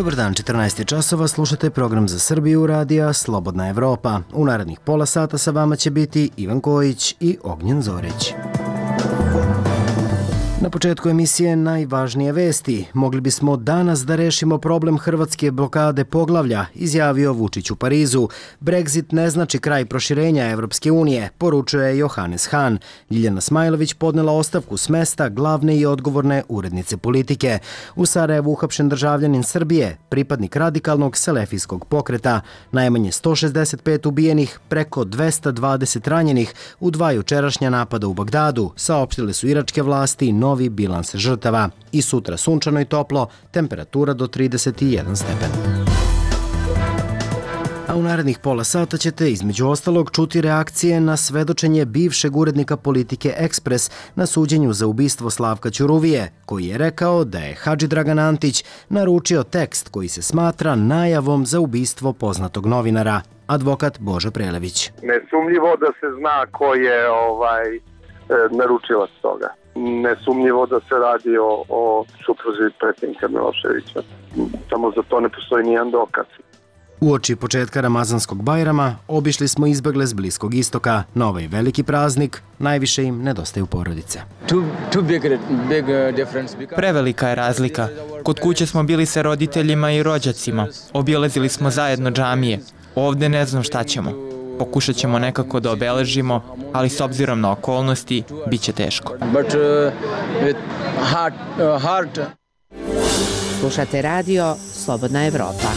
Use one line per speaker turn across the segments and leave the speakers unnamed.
Dobar dan, 14 časova, slušate program za Srbiju radija Slobodna Evropa. U narednih pola sata sa vama će biti Ivan Kojić i Ognjen Zorić. Na početku emisije najvažnije vesti. Mogli bismo danas da rešimo problem hrvatske blokade poglavlja, izjavio Vučić u Parizu. Brexit ne znači kraj proširenja Evropske unije, poručuje Johannes Hahn. Ljiljana Smajlović podnela ostavku s mesta glavne i odgovorne urednice politike. U Sarajevu uhapšen državljanin Srbije, pripadnik radikalnog selefijskog pokreta. Najmanje 165 ubijenih, preko 220 ranjenih u dva jučerašnja napada u Bagdadu, saopštile su iračke vlasti novi bilans žrtava. I sutra sunčano i toplo, temperatura do 31 stepen. A u narednih pola sata ćete između ostalog čuti reakcije na svedočenje bivšeg urednika politike Ekspres na suđenju za ubistvo Slavka Ćuruvije, koji je rekao da je Hadži Dragan Antić naručio tekst koji se smatra najavom za ubistvo poznatog novinara. Advokat Božo Prelević.
Nesumnjivo da se zna ko je naručilac toga. Nesumnjivo da se radi o supruzi predsjednika Miloševića. Samo za to ne postoji nijedan dokaz.
Uoči početka Ramazanskog Bajrama obišli smo izbegle s Bliskog istoka. Na ovaj veliki praznik najviše im nedostaju porodice.
Prevelika je razlika. Kod kuće smo bili sa roditeljima i rođacima. Obilazili smo zajedno džamije. Ovde ne znam šta ćemo. Pokušat ćemo nekako da obeležimo, ali s obzirom na okolnosti, bit će teško.
Slušate radio Slobodna Evropa.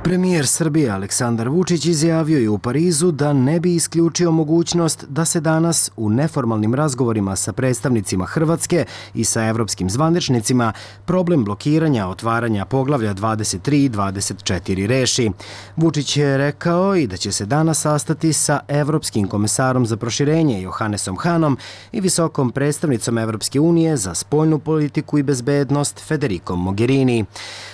Premijer Srbije Aleksandar Vučić izjavio je u Parizu da ne bi isključio mogućnost da se danas u neformalnim razgovorima sa predstavnicima Hrvatske i sa evropskim zvaničnicima problem blokiranja otvaranja poglavlja 23 i 24 reši. Vučić je rekao i da će se danas sastati sa evropskim komesarom za proširenje Johannesom Hahnom i visokom predstavnicom Evropske unije za spoljnu politiku i bezbednost Federikom Mogherini.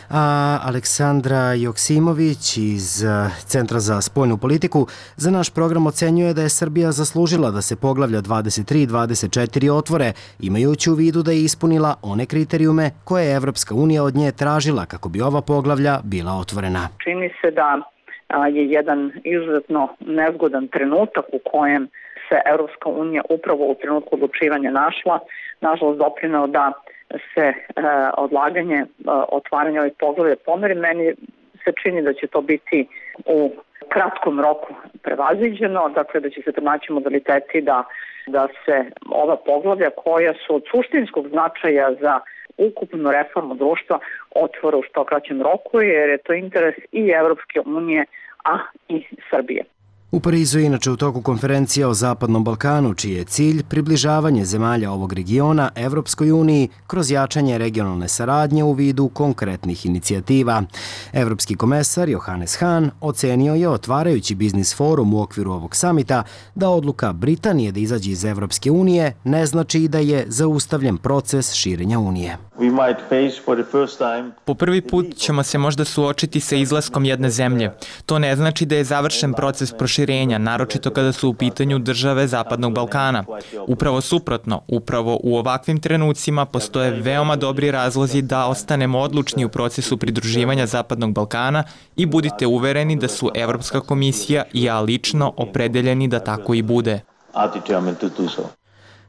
A Aleksandra Joksimović iz Centra za spoljnu politiku za naš program ocenjuje da je Srbija zaslužila da se poglavlja 23 i 24 otvore, imajući u vidu da je ispunila one kriterijume koje je Evropska unija od nje tražila kako bi ova poglavlja bila otvorena.
Čini se da je jedan izuzetno nezgodan trenutak u kojem se Evropska unija upravo u trenutku odlučivanja našla, nažalost doprineo da se odlaganje otvaranja ovih poglavlja pomeri. Meni se čini da će to biti u kratkom roku prevaziđeno, dakle da će se pronaći modaliteti da se ova poglavlja koja su od suštinskog značaja za ukupnu reformu društva otvore u što kraćem roku, jer je to interes i Evropske unije, a i Srbije.
U Parizu je inače u toku konferencija o Zapadnom Balkanu, čiji je cilj približavanje zemalja ovog regiona Evropskoj uniji kroz jačanje regionalne saradnje u vidu konkretnih inicijativa. Evropski komesar Johannes Hahn ocenio je, otvarajući biznis forum u okviru ovog samita, da odluka Britanije da izađe iz Evropske unije ne znači i da je zaustavljen proces širenja unije.
Po prvi put ćemo se možda suočiti sa izlaskom jedne zemlje. To ne znači da je završen proces proširenja, naročito kada su u pitanju države Zapadnog Balkana. Upravo suprotno, upravo u ovakvim trenucima postoje veoma dobri razlozi da ostanemo odlučni u procesu pridruživanja Zapadnog Balkana i budite uvereni da su Evropska komisija i ja lično opredeljeni da tako i bude.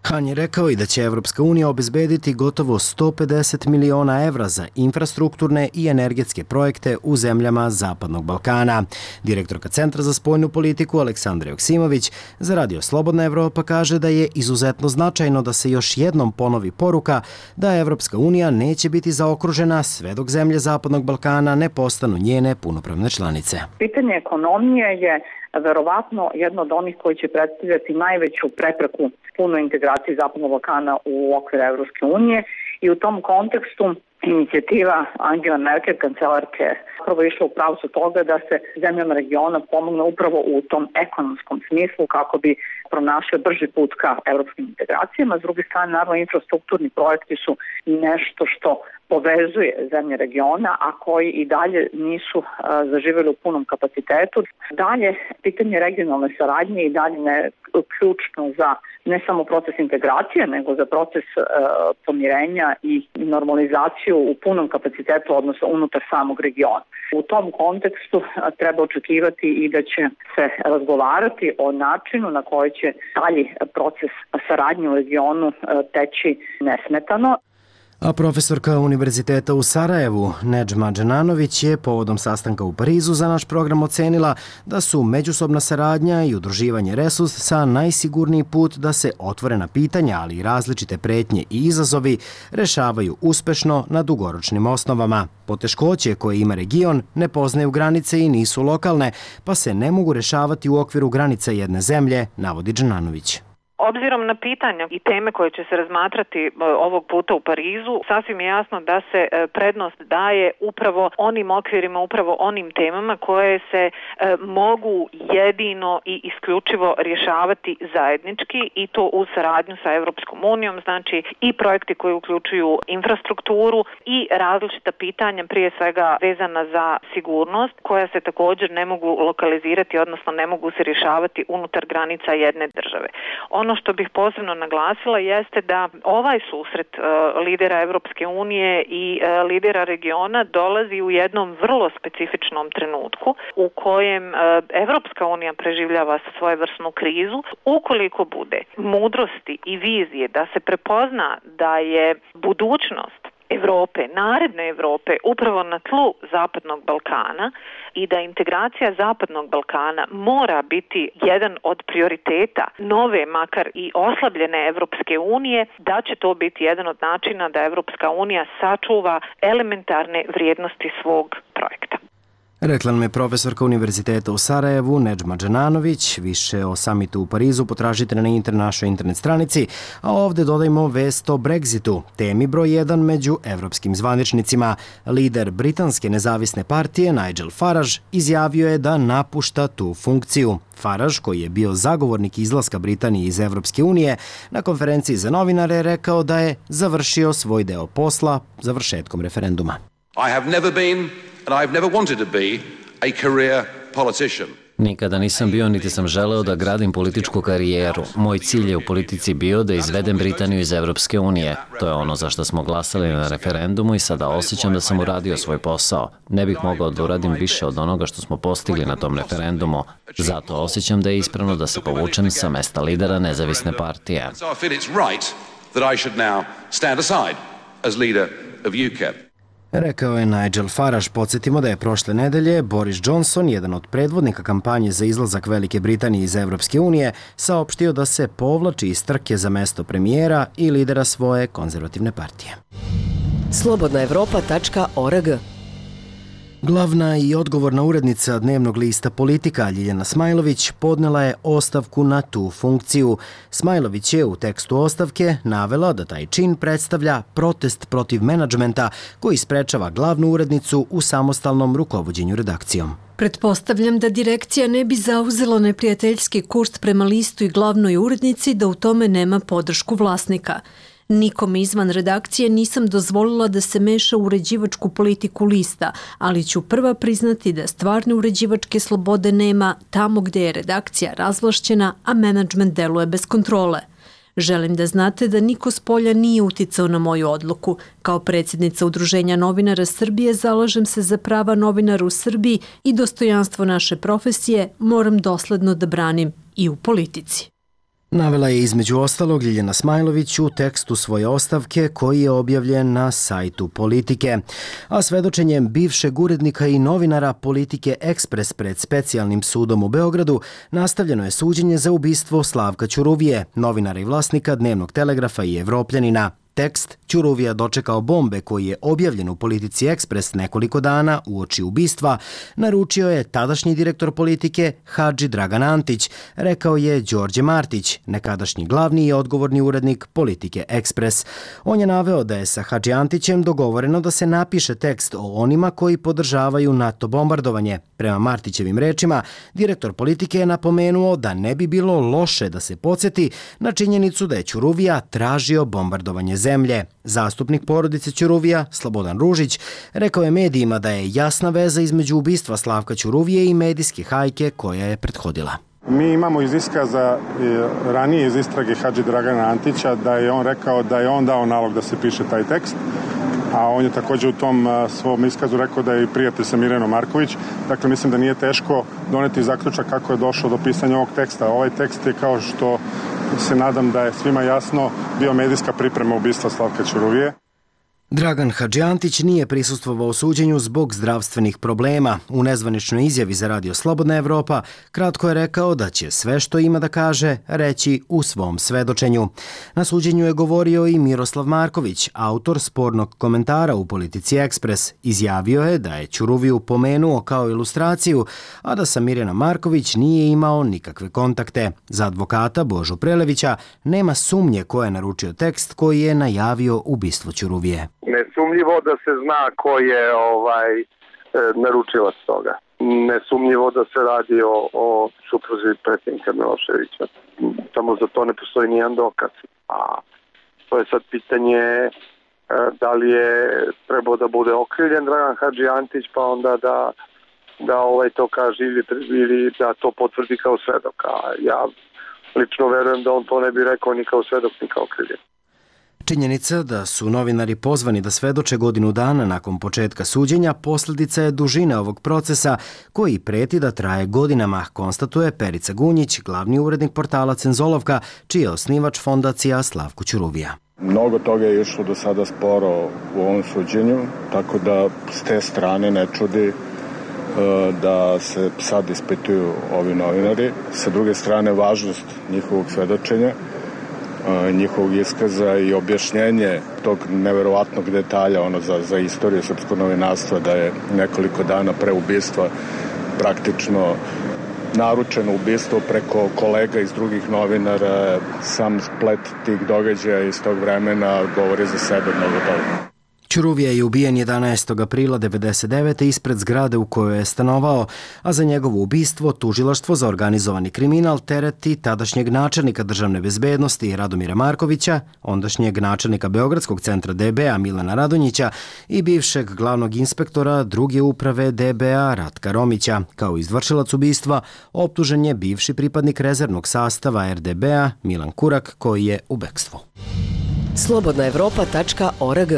Hahn je rekao i da će Evropska unija obezbediti gotovo 150 miliona evra za infrastrukturne i energetske projekte u zemljama Zapadnog Balkana. Direktorka Centra za spoljnu politiku Aleksandra Joksimović za radio Slobodna Evropa kaže da je izuzetno značajno da se još jednom ponovi poruka da Evropska unija neće biti zaokružena sve dok zemlje Zapadnog Balkana ne postanu njene punopravne članice.
Pitanje ekonomije je verovatno jedno od onih koji će predstavljati najveću prepreku punoj integraciji Zapadnog Balkana u okviru Evropske unije i u tom kontekstu inicijativa Angela Merkel, kancelarke, upravo išla u pravcu toga da se zemljama regiona pomogne upravo u tom ekonomskom smislu kako bi pronašli brži put ka evropskim integracijama. S druge strane, naravno, infrastrukturni projekti su nešto što povezuje zemlje regiona, a koji i dalje nisu zaživjeli u punom kapacitetu. Dalje, pitanje regionalne saradnje i dalje je ključno za ne samo proces integracije, nego za proces pomirenja i normalizaciju u punom kapacitetu, odnosno unutar samog regiona. U tom kontekstu treba očekivati i da će se razgovarati o načinu na koji će dalji proces saradnje u regionu teći nesmetano.
A profesorka Univerziteta u Sarajevu, Nedžma Dženanović, je povodom sastanka u Parizu za naš program ocenila da su međusobna saradnja i udruživanje resursa najsigurniji put da se otvorena pitanja, ali i različite pretnje i izazovi rešavaju uspešno na dugoročnim osnovama. Poteškoće koje ima region ne poznaju granice i nisu lokalne, pa se ne mogu rešavati u okviru granica jedne zemlje, navodi Dženanović.
Obzirom na pitanja i teme koje će se razmatrati ovog puta u Parizu, sasvim je jasno da se prednost daje upravo onim okvirima, upravo onim temama koje se mogu jedino i isključivo rješavati zajednički i to u saradnju sa Evropskom unijom, znači i projekti koji uključuju infrastrukturu i različita pitanja, prije svega vezana za sigurnost, koja se također ne mogu lokalizirati, odnosno ne mogu se rješavati unutar granica jedne države. Ono što bih posebno naglasila jeste da ovaj susret lidera Evropske unije i lidera regiona dolazi u jednom vrlo specifičnom trenutku u kojem Evropska unija preživljava svojevrsnu krizu. Ukoliko bude mudrosti i vizije da se prepozna da je budućnost Evrope, naredne Evrope, upravo na tlu Zapadnog Balkana i da integracija Zapadnog Balkana mora biti jedan od prioriteta nove, makar i oslabljene Evropske unije, da će to biti jedan od načina da Evropska unija sačuva elementarne vrijednosti svog projekta.
Rekla nam je profesorka Univerziteta u Sarajevu, Nedžma Dženanović. Više o samitu u Parizu potražite na našoj internet stranici, a ovdje dodajmo vest o Brexitu, temi broj 1 među evropskim zvaničnicima. Lider britanske nezavisne partije Nigel Farage izjavio je da napušta tu funkciju. Farage, koji je bio zagovornik izlaska Britanije iz Evropske unije, na konferenciji za novinare je rekao da je završio svoj deo posla završetkom referenduma.
I have never been and I've never wanted to be a career politician.
Nikada nisam bio niti sam želeo da gradim političku karijeru. Moj cilj je u politici bio da izvedem Britaniju iz Evropske unije. To je ono za što smo glasali na referendumu i sada osjećam da sam uradio svoj posao. Ne bih mogao da uradim više od onoga što smo postigli na tom referendumu. Zato osjećam da je ispravno da se povučem sa mesta lidera nezavisne partije.
So I feel it's right that I should now stand aside as leader of UKIP.
Rekao je Nigel Farage. Podsjetimo da je prošle nedelje Boris Johnson, jedan od predvodnika kampanje za izlazak Velike Britanije iz Evropske unije, saopštio da se povlači iz trke za mesto premijera i lidera svoje konzervativne partije.
Slobodnaevropa.org.
Glavna i odgovorna urednica dnevnog lista Politika Ljiljana Smajlović podnela je ostavku na tu funkciju. Smajlović je u tekstu ostavke navela da taj čin predstavlja protest protiv menadžmenta koji sprečava glavnu urednicu u samostalnom rukovođenju redakcijom.
Pretpostavljam da direkcija ne bi zauzela neprijateljski kurs prema listu i glavnoj urednici da u tome nema podršku vlasnika. Nikom izvan redakcije nisam dozvolila da se meša u uređivačku politiku lista, ali ću prva priznati da stvarne uređivačke slobode nema tamo gde je redakcija razvlašćena, a menadžment deluje bez kontrole. Želim da znate da niko s polja nije uticao na moju odluku. Kao predsjednica Udruženja novinara Srbije zalažem se za prava novinara u Srbiji i dostojanstvo naše profesije moram dosledno da branim i u politici.
Navela je između ostalog Ljiljana Smajlović u tekstu svoje ostavke koji je objavljen na sajtu Politike. A svedočenjem bivšeg urednika i novinara Politike Ekspres pred specijalnim sudom u Beogradu nastavljeno je suđenje za ubistvo Slavka Ćuruvije, novinara i vlasnika Dnevnog telegrafa i Evropljanina. Tekst Ćuruvija dočekao bombe koji je objavljen u Politici Ekspres nekoliko dana uoči ubistva naručio je tadašnji direktor Politike Hadži Dragan Antić, rekao je Đorđe Martić, nekadašnji glavni i odgovorni urednik Politike Ekspres. On je naveo da je sa Hadži Antićem dogovoreno da se napiše tekst o onima koji podržavaju NATO bombardovanje, Prema Martićevim rečima, direktor politike je napomenuo da ne bi bilo loše da se podsjeti na činjenicu da je Ćuruvija tražio bombardovanje zemlje. Zastupnik porodice Ćuruvija, Slobodan Ružić, rekao je medijima da je jasna veza između ubistva Slavka Ćuruvije i medijske hajke koja je prethodila.
Mi imamo iz iskaza ranije iz istrage Hadži Dragana Antića da je on rekao da je on dao nalog da se piše taj tekst, a on je također u tom svom iskazu rekao da je i prijatelj sa Mirjanom Marković. Dakle, mislim da nije teško doneti zaključak kako je došlo do pisanja ovog teksta. Ovaj tekst je, kao što se nadam da je svima jasno, bio medijska priprema ubistva Slavka Ćuruvije.
Dragan Hadžiantić nije prisustvovao suđenju zbog zdravstvenih problema. U nezvaničnoj izjavi za Radio Slobodna Evropa kratko je rekao da će sve što ima da kaže reći u svom svedočenju. Na suđenju je govorio i Miroslav Marković, autor spornog komentara u Politici Ekspres. Izjavio je da je Ćuruviju pomenuo kao ilustraciju, a da sa Mirjana Marković nije imao nikakve kontakte. Za advokata Božu Prelevića nema sumnje ko je naručio tekst koji je najavio ubistvo Ćuruvije.
Nesumnjivo da se zna ko je naručilac toga. Nesumnjivo da se radi o supruzi predsjednika Miloševića. Samo za to ne postoji nijedan dokaz. A to je sad pitanje da li je trebao da bude okrivljen Dragan Hadžiantić, pa onda da to kaže ili da to potvrdi kao svedok. A ja lično verujem da on to ne bi rekao ni kao svedok ni kao okrivljen.
Činjenica da su novinari pozvani da svedoče godinu dana nakon početka suđenja posljedica je dužine ovog procesa koji preti da traje godinama, konstatuje Perica Gunjić, glavni urednik portala Cenzolovka, čiji je osnivač fondacija Slavko Ćuruvija.
Mnogo toga je išlo do sada sporo u ovom suđenju, tako da s te strane ne čudi da se sad ispituju ovi novinari. Sa druge strane, važnost njihovog svedočenja, njihovog iskaza i objašnjenje tog neverovatnog detalja za istoriju srpskog novinarstva, da je nekoliko dana pre ubistva praktično naručeno ubistvo preko kolega iz drugih novinara. Sam splet tih događaja iz tog vremena govori za sebe mnogo toga.
Ćuruvija je ubijen 11. aprila 1999. ispred zgrade u kojoj je stanovao, a za njegovo ubistvo tužilaštvo za organizovani kriminal tereti tadašnjeg načelnika državne bezbednosti Radomira Markovića, ondašnjeg načelnika Beogradskog centra DBA Milana Radonjića i bivšeg glavnog inspektora druge uprave DBA Ratka Romića. Kao izvršilac ubistva optužen je bivši pripadnik rezervnog sastava RDBA Milan Kurak, koji je u bekstvu.
Slobodnaevropa.org.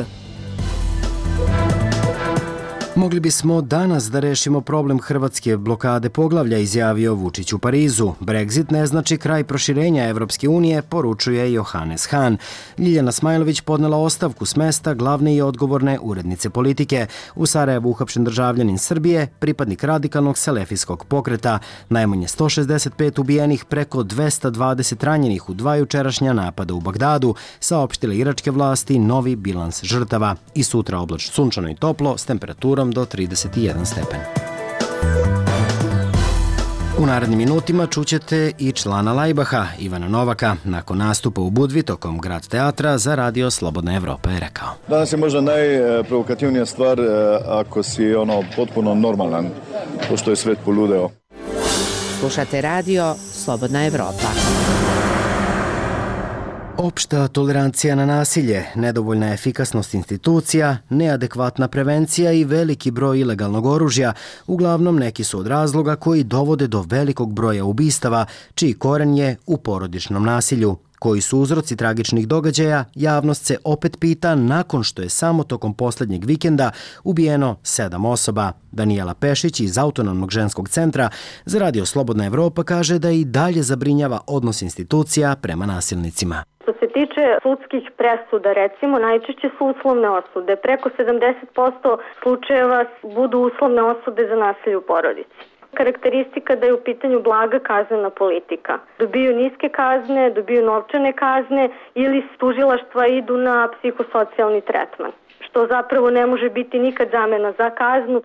Mogli bismo danas da rešimo problem hrvatske blokade poglavlja, izjavio Vučić u Parizu. Brexit ne znači kraj proširenja Evropske unije, poručuje Johannes Hahn. Ljiljana Smajlović podnela ostavku s mesta glavne i odgovorne urednice politike. U Sarajevu uhapšen državljanin Srbije, pripadnik radikalnog selefijskog pokreta. Najmanje 165 ubijenih, preko 220 ranjenih u 2 jučerašnja napada u Bagdadu, saopštile iračke vlasti novi bilans žrtava. I sutra oblačno, sunčano i toplo s temperaturom do 31 stepen. U narednim minutima čućete i člana Lajbaha, Ivana Novaka, nakon nastupa u Budvi tokom Grad teatra za Radio Slobodna Evropa je rekao.
Danas je možda najprovokativnija stvar ako si potpuno normalan, pošto je svet poludeo.
Slušate Radio Slobodna Evropa.
Opšta tolerancija na nasilje, nedovoljna efikasnost institucija, neadekvatna prevencija i veliki broj ilegalnog oružja, uglavnom neki su od razloga koji dovode do velikog broja ubistava, čiji koren je u porodičnom nasilju. Koji su uzroci tragičnih događaja, javnost se opet pita nakon što je samo tokom posljednjeg vikenda ubijeno 7 osoba. Danijela Pešić iz Autonomnog ženskog centra za Radio Slobodna Evropa kaže da i dalje zabrinjava odnos institucija prema nasilnicima.
Što se tiče sudskih presuda, recimo, najčešće su uslovne osude. Preko 70% slučajeva budu uslovne osude za nasilje u porodici. Karakteristika da je u pitanju blaga kaznena politika. Dobiju niske kazne, dobiju novčane kazne ili s tužilaštva idu na psihosocijalni tretman, što zapravo ne može biti nikad zamena za kaznu.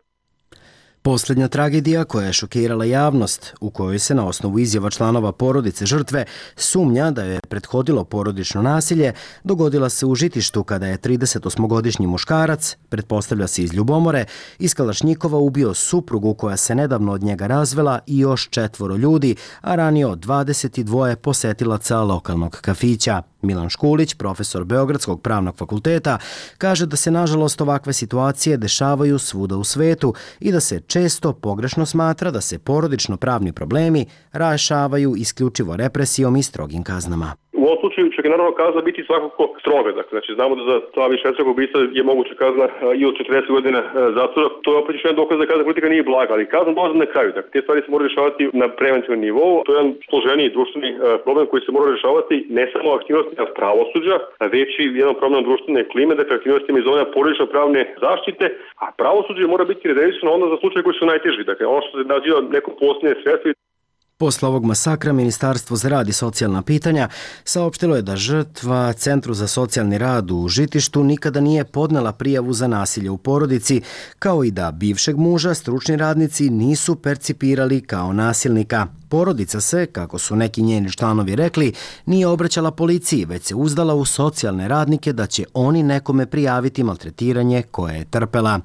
Posljednja tragedija koja je šokirala javnost, u kojoj se na osnovu izjava članova porodice žrtve sumnja da je prethodilo porodično nasilje, dogodila se u Žitištu kada je 38-godišnji muškarac, pretpostavlja se iz Ljubomore, iz Kalašnjikova ubio suprugu koja se nedavno od njega razvela i još 4 ljudi, a ranio 22 posetilaca lokalnog kafića. Milan Škulić, profesor Beogradskog pravnog fakulteta, kaže da se nažalost ovakve situacije dešavaju svuda u svetu i da se često pogrešno smatra da se porodično pravni problemi rešavaju isključivo represijom i strogim kaznama.
U ovom slučaju će naravno kazna biti svakako stroga. Znači, znamo da za ta višestrukog ubistva je moguća kazna i od 40 godina zatvora. To je opet još jedan dokaz da kazna politika nije blaga, ali kazna dolazi na kraju. Dakle, te stvari se moraju rešavati na preventivnom nivou. To je jedan složeniji društveni problem koji se mora rešavati ne samo aktivnostima pravosuđa, već i jedan problem društvene klime, dakle aktivnostima iz zone porodično pravne zaštite, a pravosuđe mora biti rezervisano onda za slučaje koji su najteži. Dakle, ono što se naziva neko posljednje sredstvo.
Posle ovog masakra, Ministarstvo za rad i socijalna pitanja saopštilo je da žrtva Centru za socijalni rad u Žitištu nikada nije podnela prijavu za nasilje u porodici, kao i da bivšeg muža stručni radnici nisu percipirali kao nasilnika. Porodica se, kako su neki njeni članovi rekli, nije obraćala policiji, već se uzdala u socijalne radnike da će oni nekome prijaviti maltretiranje koje je trpela.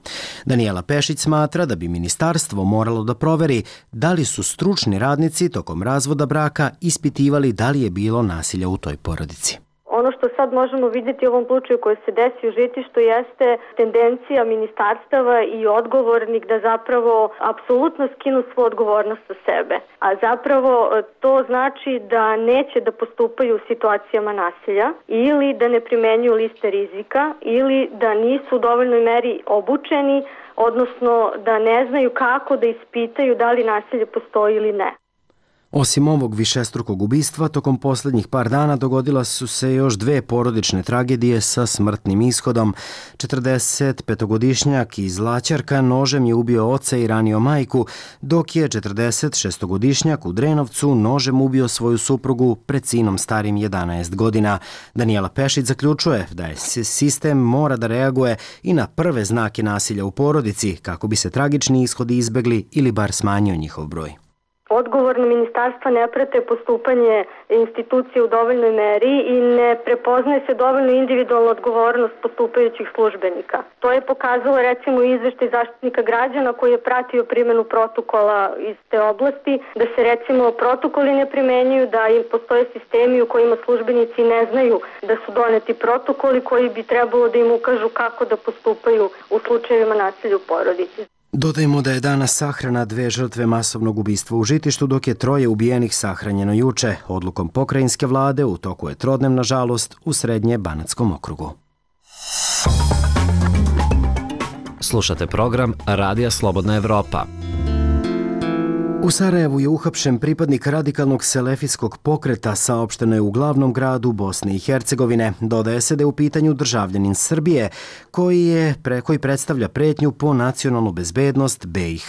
Danijela Pešić smatra da bi ministarstvo moralo da proveri da li su stručni radnici tokom razvoda braka ispitivali da li je bilo nasilja u toj porodici.
Ono što sad možemo vidjeti u ovom slučaju koji se desi u Žitištu jeste tendencija ministarstava i odgovornik da zapravo apsolutno skinu svu odgovornost sa sebe. A zapravo to znači da neće da postupaju u situacijama nasilja ili da ne primenjuju liste rizika ili da nisu u dovoljnoj meri obučeni, odnosno da ne znaju kako da ispitaju da li nasilje postoji ili ne.
Osim ovog višestrukog ubistva, tokom posljednjih par dana dogodila su se još 2 porodične tragedije sa smrtnim ishodom. 45-godišnjak iz Laćarka nožem je ubio oca i ranio majku, dok je 46-godišnjak u Drenovcu nožem ubio svoju suprugu pred sinom starim 11 godina. Danijela Pešić zaključuje da je sistem mora da reaguje i na prve znake nasilja u porodici kako bi se tragični ishodi izbegli ili bar smanjio njihov broj.
Odgovorno ministarstva ne prate postupanje institucije u dovoljnoj meri i ne prepoznaje se dovoljno individualna odgovornost postupajućih službenika. To je pokazalo recimo izveštaj Zaštitnika građana koji je pratio primjenu protokola iz te oblasti, da se recimo protokoli ne primenjuju, da im postoje sistemi u kojima službenici ne znaju da su doneti protokoli koji bi trebalo da im ukažu kako da postupaju u slučajevima nasilja u porodici.
Dodajmo da je danas sahrana 2 žrtve masovnog ubistva u Žitištu, dok je 3 ubijenih sahranjeno juče. Odlukom pokrajinske vlade u toku je trodnevna žalost u Srednje Banatskom okrugu.
Slušate program Radija Slobodna Evropa.
U Sarajevu je uhapšen pripadnik radikalnog selefijskog pokreta, saopšteno je u glavnom gradu Bosne i Hercegovine. Dodaje se da je u pitanju državljanin Srbije koji predstavlja pretnju po nacionalnu bezbednost BiH.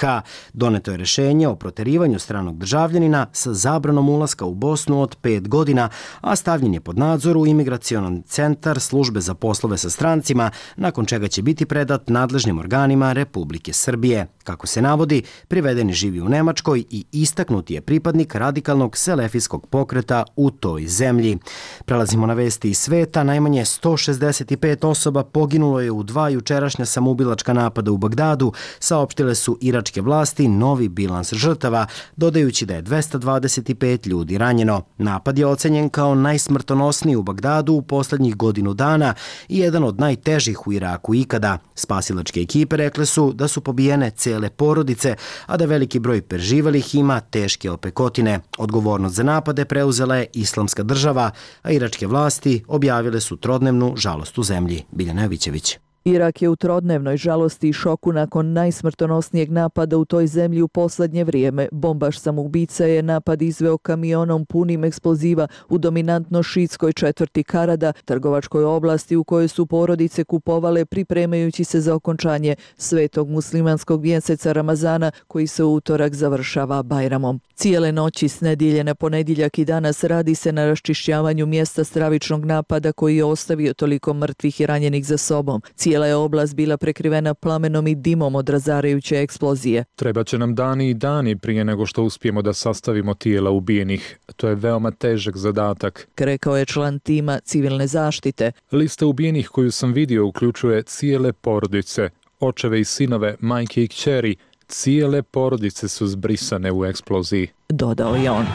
Doneto je rešenje o proterivanju stranog državljanina sa zabranom ulaska u Bosnu od 5 godina, a stavljen je pod nadzor u Imigracionan centar Službe za poslove sa strancima, nakon čega će biti predat nadležnim organima Republike Srbije. Kako se navodi, privedeni živi u Nemačkoj i istaknuti je pripadnik radikalnog selefijskog pokreta u toj zemlji. Prelazimo na vesti iz sveta. Najmanje 165 osoba poginulo je u 2 jučerašnja samoubilačka napada u Bagdadu, saopštile su iračke vlasti novi bilans žrtava, dodajući da je 225 ljudi ranjeno. Napad je ocenjen kao najsmrtonosniji u Bagdadu u posljednjih godinu dana i jedan od najtežih u Iraku ikada. Spasilačke ekipe rekle su da su pobijene cele porodice, a da veliki broj preživelih ima teške opekotine. Odgovornost za napade preuzela je Islamska država, a iračke vlasti objavile su trodnevnu žalost u zemlji. Biljana Jovićević.
Irak je u trodnevnoj žalosti i šoku nakon najsmrtonosnijeg napada u toj zemlji u poslednje vrijeme. Bombaš samoubica je napad izveo kamionom punim eksploziva u dominantno šiitskoj četvrti Karada, trgovačkoj oblasti u kojoj su porodice kupovale pripremajući se za okončanje svetog muslimanskog mjeseca Ramazana koji se u utorak završava Bajramom. Cijele noći s nedjelje na ponedjeljak i danas radi se na raščišćavanju mjesta stravičnog napada koji je ostavio toliko mrtvih i ranjenih za sobom. Cijela je oblast bila prekrivena plamenom i dimom od razarajuće eksplozije.
Trebaće nam dani i dani prije nego što uspijemo da sastavimo tijela ubijenih. To je veoma težak zadatak,
rekao je član tima civilne zaštite.
Lista ubijenih koju sam vidio uključuje cijele porodice, očeve i sinove, majke i kćeri. Cijele porodice su zbrisane u eksploziji,
dodao je on.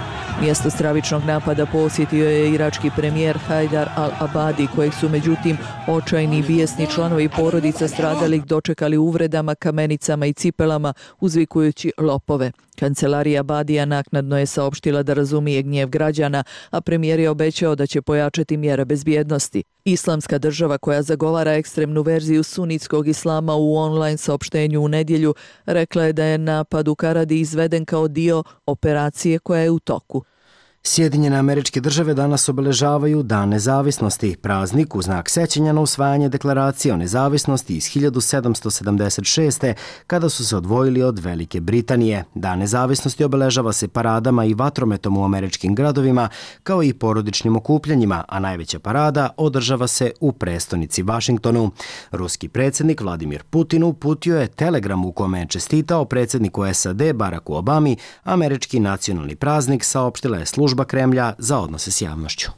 Mjesto stravičnog napada posjetio je irački premijer Hajdar al-Abadi, kojeg su međutim očajni i bijesni članovi porodica stradalih dočekali uvredama, kamenicama i cipelama, uzvikujući lopove. Kancelarija Abadija naknadno je saopštila da razumije gnjev građana, a premijer je obećao da će pojačati mjere bezbjednosti. Islamska država, koja zagovara ekstremnu verziju sunitskog islama, u online saopštenju u nedjelju rekla je da je napad u Karadi izveden kao dio operacije koja je u toku.
Sjedinjene Američke Države danas obeležavaju Dan nezavisnosti, praznik u znak sećanja na usvajanje deklaracije o nezavisnosti iz 1776. kada su se odvojili od Velike Britanije. Dan nezavisnosti obeležava se paradama i vatrometom u američkim gradovima, kao i porodičnim okupljanjima, a najveća parada održava se u prestonici Vašingtonu. Ruski predsjednik Vladimir Putin uputio je telegram u kome je čestitao predsjedniku SAD Baracku Obami. Američki nacionalni praznik saopštila je služba Kremlja za odnose s javnošću.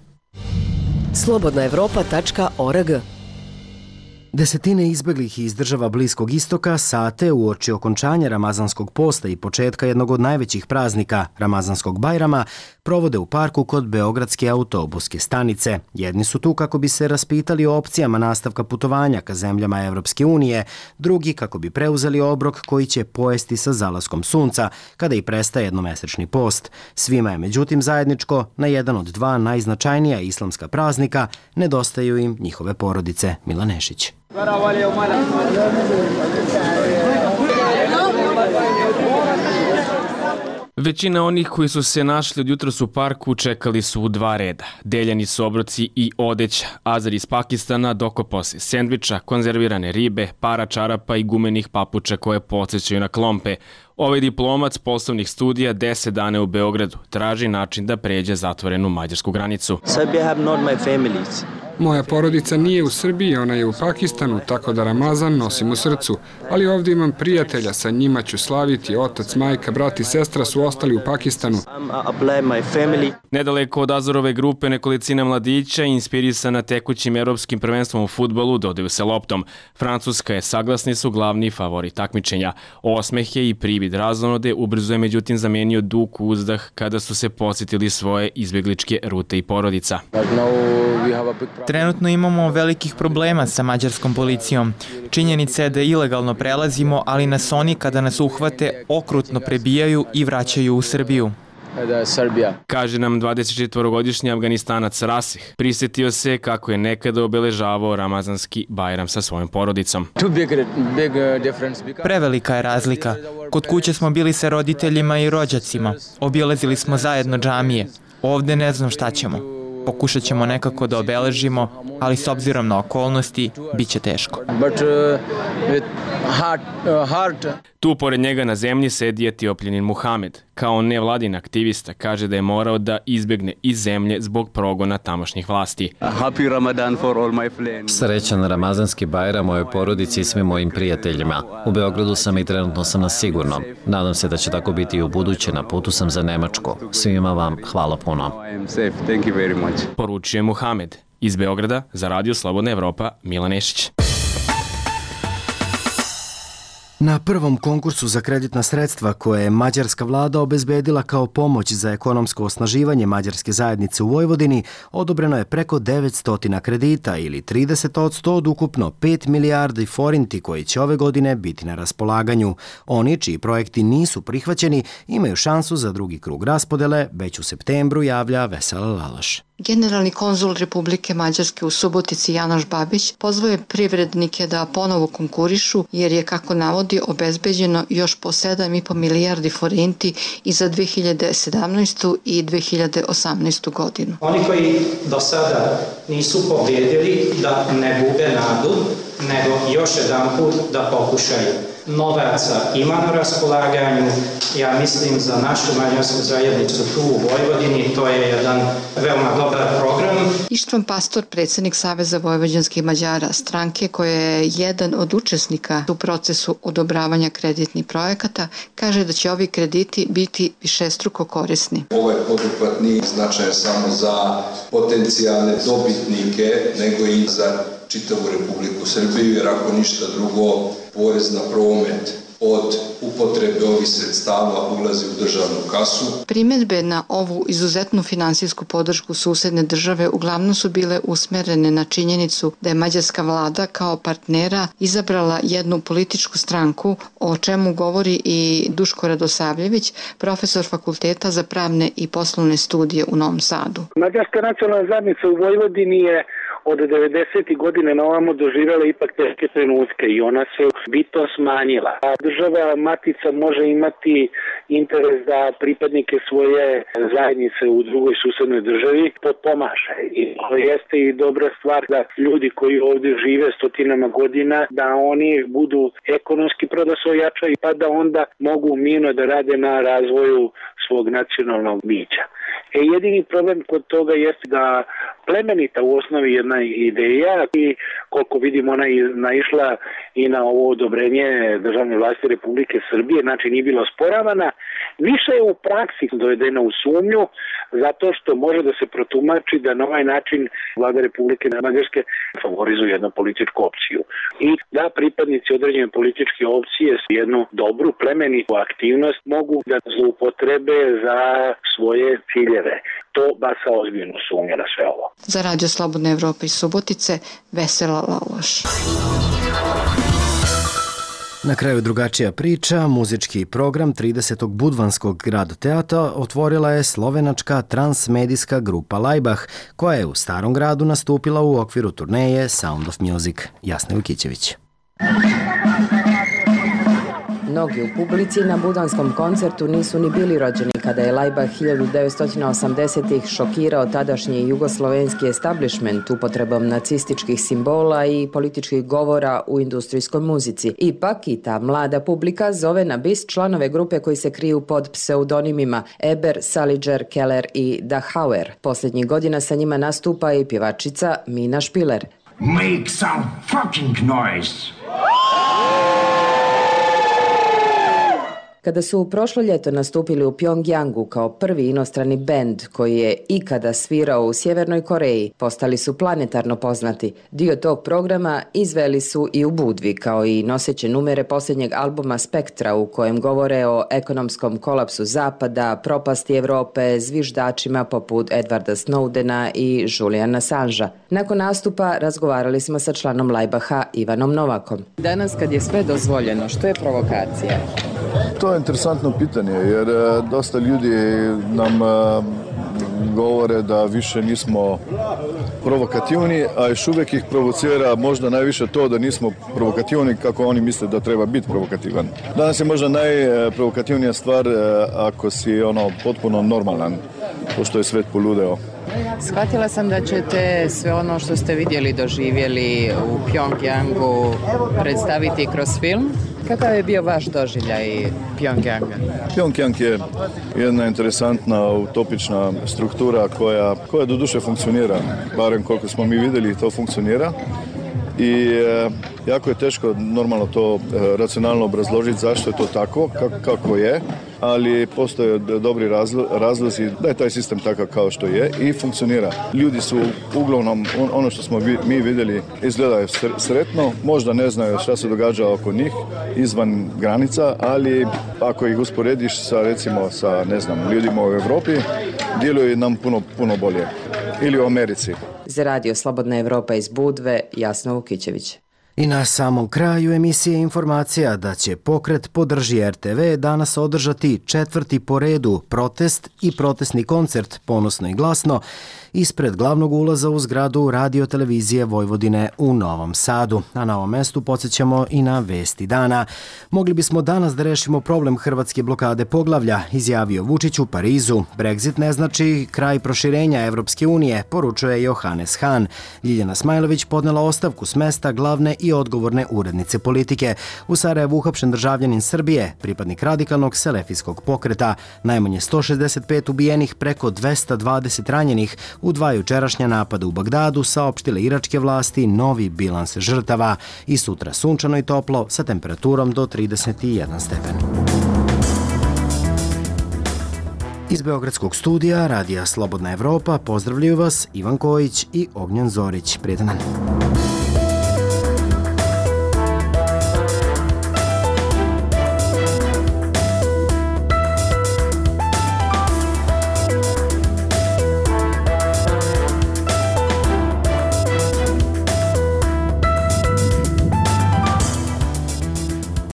Slobodnaevropa.org.
Desetine izbeglih iz država Bliskog istoka sate uoči okončanja Ramazanskog posta i početka jednog od najvećih praznika, Ramazanskog Bajrama, provode u parku kod Beogradske autobuske stanice. Jedni su tu kako bi se raspitali o opcijama nastavka putovanja ka zemljama Evropske unije, drugi kako bi preuzeli obrok koji će pojesti sa zalaskom sunca, kada i prestaje jednomesečni post. Svima je međutim zajedničko, na jedan od dva najznačajnija islamska praznika nedostaju im njihove porodice. Milan Nešić.
Većina onih koji su se našli od jutros u parku čekali su u dva reda. Deljeni su obroci i odeća. Azar iz Pakistana dokopao se sendviča, konzervirane ribe, para čarapa i gumenih papuča koje podsjećaju na klompe. Ovaj diplomac poslovnih studija 10 dana u Beogradu traži način da pređe zatvorenu mađarsku granicu.
Moja porodica nije u Srbiji, ona je u Pakistanu, tako da Ramazan nosim u srcu. Ali ovdje imam prijatelja, sa njima ću slaviti, otac, majka, brat i sestra su ostali u Pakistanu.
Nedaleko od Azarove grupe nekolicina mladića, inspirisana tekućim evropskim prvenstvom u fudbalu, dodaju se loptom. Francuska je, saglasni su, glavni favorit takmičenja. Osmehe i privid razonode ubrzo je međutim zamenio dug uzdah kada su se posjetili svoje izbjegličke rute i porodica.
Trenutno imamo velikih problema sa mađarskom policijom. Činjenica je da ilegalno prelazimo, ali nas oni kada nas uhvate okrutno prebijaju i vraćaju u Srbiju.
Kaže nam 24-godišnji Afganistanac Rasih. Prisjetio se kako je nekada obeležavao Ramazanski Bajram sa svojom porodicom.
Prevelika je razlika. Kod kuće smo bili sa roditeljima i rođacima. Obilazili smo zajedno džamije. Ovdje ne znam šta ćemo. Pokušat ćemo nekako da obeležimo, ali s obzirom na okolnosti, bit će teško.
Tu pored njega na zemlji sedi Etiopljanin Muhamed. Kao nevladin aktivista kaže da je morao da izbjegne iz zemlje zbog progona tamošnjih vlasti.
Srećan Ramazanski Bajram mojoj porodici i svim mojim prijateljima. U Beogradu sam i trenutno sam na sigurnom. Nadam se da će tako biti i u buduće, na putu sam za Nemačku. Svima vam hvala puno.
Poručuje Muhamed. Iz Beograda za Radio Slobodna Evropa, Milan Nešić.
Na prvom konkursu za kreditna sredstva koje je mađarska vlada obezbedila kao pomoć za ekonomsko osnaživanje mađarske zajednice u Vojvodini, odobreno je preko 900 kredita ili 30% od ukupno 5 milijardi forinti koji će ove godine biti na raspolaganju. Oni čiji projekti nisu prihvaćeni imaju šansu za drugi krug raspodele, već u septembru, javlja Vesela Lalaš.
Generalni konzul Republike Mađarske u Subotici Janoš Babić pozvao je privrednike da ponovo konkurišu jer je, kako navodi, obezbeđeno još po 7,5 milijardi forinti i za 2017. i 2018. godinu.
Oni koji do sada nisu pobjedili da ne gube nadu,
nego još jedan put da pokušaju. Novaca ima na raspolaganju, ja mislim za našu mađarsku zajednicu tu u Vojvodini, to je jedan veoma dobar program.
Ištvan Pastor, predsjednik Saveza vojvođanskih Mađara, stranke koja je jedan od učesnika u procesu odobravanja kreditnih projekata, kaže da će ovi krediti biti višestruko korisni.
Ovaj poduhvat nije značajan samo za potencijalne dobitnike, nego i za čitavu Republiku Srbiju, jer ako ništa drugo, porez na promet od upotrebe ovih sredstava ulazi u državnu kasu.
Primjedbe na ovu izuzetnu finansijsku podršku susedne države uglavnom su bile usmerene na činjenicu da je mađarska vlada kao partnera izabrala jednu političku stranku, o čemu govori i Duško Radosavljević, profesor Fakulteta za pravne i poslovne studije u Novom Sadu.
Mađarska nacionalna zajednica u Vojvodini je od 90. godine na ovamo doživjela ipak teške trenutke i ona se bitno smanjila. A država matica može imati interes da pripadnike svoje zajednice u drugoj susednoj državi potpomaže. I to jeste i dobra stvar da ljudi koji ovdje žive stotinama godina, da oni budu ekonomski prodasojača pa da onda mogu mirno da rade na razvoju svog nacionalnog bića. Jedini problem kod toga jeste da plemenita u osnovi jedna ideja i koliko vidim ona je naišla i na ovo odobrenje državne vlasti Republike Srbije, znači nije bila osporavana, više je u praksi dovedena u sumnju zato što može da se protumači da na ovaj način vlada Republike Mađarske favorizuje jednu političku opciju i da pripadnici određene političke opcije jednu dobru plemenitu aktivnost mogu da zloupotrebe za svoje ciljeve. To baca ozbiljnu sumnju na sve ovo.
Za Radio Slobodna Evropa iz Subotice, Vesela Laloš.
Na kraju drugačija priča, muzički program 30. Budvanskog grad teatra otvorila je slovenačka transmedijska grupa Laibach, koja je u Starom gradu nastupila u okviru turneje Sound of Music. Jasna Vukićević.
Mnogi u publici na budvanskom koncertu nisu ni bili rođeni kada je Laibach 1980-ih šokirao tadašnji jugoslovenski establishment upotrebom nacističkih simbola i političkih govora u industrijskoj muzici. Ipak i ta mlada publika zove na bis članove grupe koji se kriju pod pseudonimima Eber, Saliger, Keller i Dachauer. Posljednjih godina sa njima nastupa i pjevačica Mina Špiler.
Make some fucking noise!
Kada su prošlo ljeto nastupili u Pjongjangu kao prvi inostrani bend koji je ikada svirao u Sjevernoj Koreji, postali su planetarno poznati. Dio tog programa izveli su i u Budvi, kao i noseće numere posljednjeg albuma Spektra u kojem govore o ekonomskom kolapsu Zapada, propasti Evrope, zviždačima poput Edwarda Snowdena i Juliana Assangea. Nakon nastupa razgovarali smo sa članom Laibacha Ivanom Novakom. Danas kad je sve dozvoljeno, što je provokacija?
To je interesantno pitanje, jer dosta ljudi nam govore da više nismo provokativni, a još uvijek ih provocira možda najviše to da nismo provokativni kako oni misle da treba biti provokativan. Danas je možda najprovokativnija stvar ako si potpuno normalan, pošto je svet poludeo.
Shvatila sam da ćete sve ono što ste vidjeli, doživjeli u Pjongjangu predstaviti kroz film. Kakav je bio vaš doživljaj Pjongjanga?
Pjongjang je jedna interesantna, utopična struktura koja do duše funkcionira, barem koliko smo mi vidjeli to funkcionira. I jako je teško normalno to racionalno obrazložiti zašto je to tako, kako je, ali postoje dobri razlozi da je taj sistem takav kao što je i funkcionira. Ljudi su uglavnom, ono što smo mi vidjeli, izgledaju sretno, možda ne znaju šta se događa oko njih izvan granica, ali ako ih usporediš sa recimo sa ljudima u Evropi, djeluju nam puno bolje. Ili u Americi.
Za Radio Slobodna Evropa iz Budve, Jasna Vukićević.
I na samom kraju emisije informacija da će pokret Podrži RTV danas održati 4. po redu protest i protestni koncert Ponosno i glasno ispred glavnog ulaza u zgradu Radio-televizije Vojvodine u Novom Sadu. A na ovom mestu podsjećamo i na vesti dana. Mogli bismo danas da rešimo problem hrvatske blokade poglavlja, izjavio Vučić u Parizu. Brexit ne znači kraj proširenja Evropske unije, poručuje Johannes Hahn. Ljiljana Smajlović podnela ostavku s mesta glavne i odgovorne urednice politike. U Sarajevu uhapšen državljanin Srbije, pripadnik radikalnog selefijskog pokreta, najmanje 165 ubijenih, preko 220 ranjenih u 2 jučerašnja napada u Bagdadu, saopštile iračke vlasti novi bilans žrtava. I sutra sunčano i toplo sa temperaturom do 31 stepen. Iz Beogradskog studija Radija Slobodna Evropa pozdravljaju vas Ivan Kojić i Ognjen Zorić. Prijetan dan.